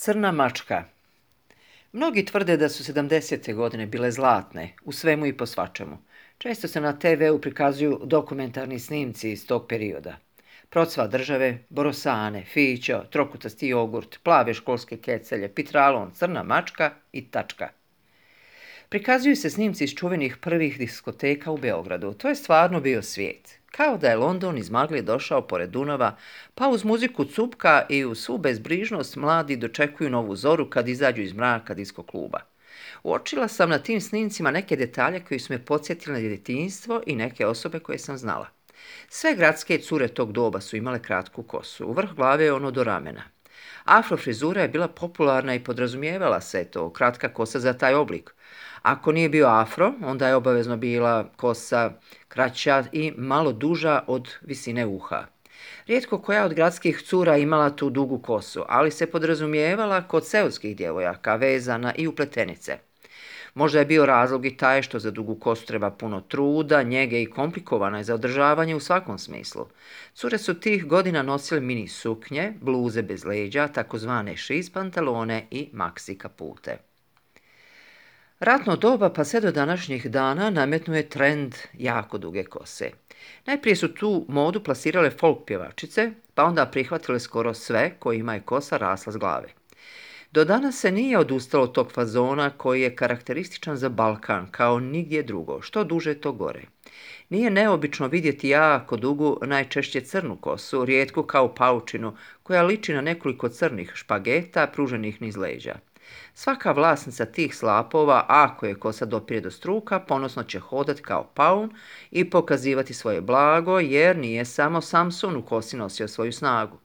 Crna mačka. Mnogi tvrde da su 70. godine bile zlatne, u svemu i po svačemu. Često se na TV-u prikazuju dokumentarni snimci iz tog perioda. Procva države, borosane, fićo, trokutasti jogurt, plave školske kecelje, pitralon, crna mačka i tačka. Prikazuju se snimci iz čuvenih prvih diskoteka u Beogradu. To je stvarno bio svijet. Kao da je London iz magle došao pored Dunava, pa uz muziku cupka i uz svu bezbrižnost mladi dočekuju novu zoru kad izađu iz mraka disko kluba. Uočila sam na tim snimcima neke detalje koji su me podsjetili na djetinjstvo i neke osobe koje sam znala. Sve gradske cure tog doba su imale kratku kosu, u vrh glave je ono do ramena. Afro frizura je bila popularna i podrazumijevala se to, kratka kosa za taj oblik. Ako nije bio afro, onda je obavezno bila kosa kraća i malo duža od visine uha. Rijetko koja od gradskih cura imala tu dugu kosu, ali se podrazumijevala kod seoskih djevojaka, vezana i upletenice. Možda je bio razlog i taj što za dugu kosu treba puno truda, njege i komplikovana je za održavanje u svakom smislu. Cure su tih godina nosile mini suknje, bluze bez leđa, takozvane šiz pantalone i maksi kapute. Ratno doba pa sve do današnjih dana nametnuo je trend jako duge kose. Najprije su tu modu plasirale folk pjevačice, pa onda prihvatile skoro sve kojima je kosa rasla s glave. Do danas se nije odustalo od tog fazona koji je karakterističan za Balkan, kao nigdje drugo, što duže to gore. Nije neobično vidjeti jako dugu, najčešće crnu kosu, rijetku kao paučinu, koja liči na nekoliko crnih špageta pruženih niz leđa. Svaka vlasnica tih slapova, ako je kosa dopire do struka, ponosno će hodati kao paun i pokazivati svoje blago, jer nije samo Samson u kosi nosio svoju snagu.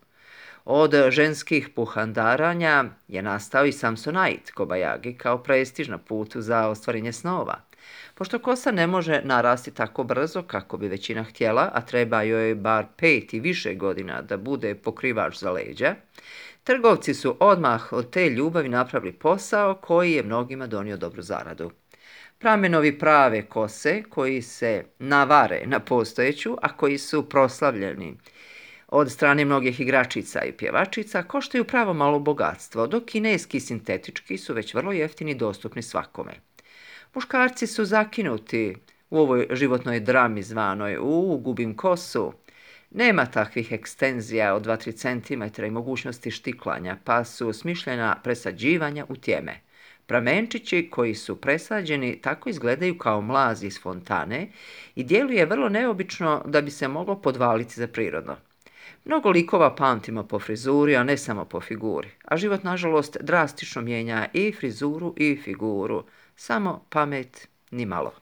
Od ženskih puhandaranja je nastao i Samsonite Kobajagi kao prestiž na putu za ostvarenje snova. Pošto kosa ne može narasti tako brzo kako bi većina htjela, a treba joj bar 5 i više godina da bude pokrivač za leđa, trgovci su odmah od te ljubavi napravili posao koji je mnogima donio dobru zaradu. Pramenovi prave kose koji se navare na postojeću, a koji su proslavljeni od strane mnogih igračica i pjevačica, koštaju pravo malo bogatstvo, dok kineski sintetički su već vrlo jeftini i dostupni svakome. Muškarci su zakinuti u ovoj životnoj drami zvanoj gubim kosu. Nema takvih ekstenzija od 2-3 cm i mogućnosti štiklanja, pa su smišljena presađivanja u tjeme. Pramenčići koji su presađeni tako izgledaju kao mlazi iz fontane i djeluje vrlo neobično da bi se moglo podvaliti za prirodno. Mnogo likova pamtimo po frizuri, a ne samo po figuri, a život nažalost drastično mijenja i frizuru i figuru, samo pamet ni malo.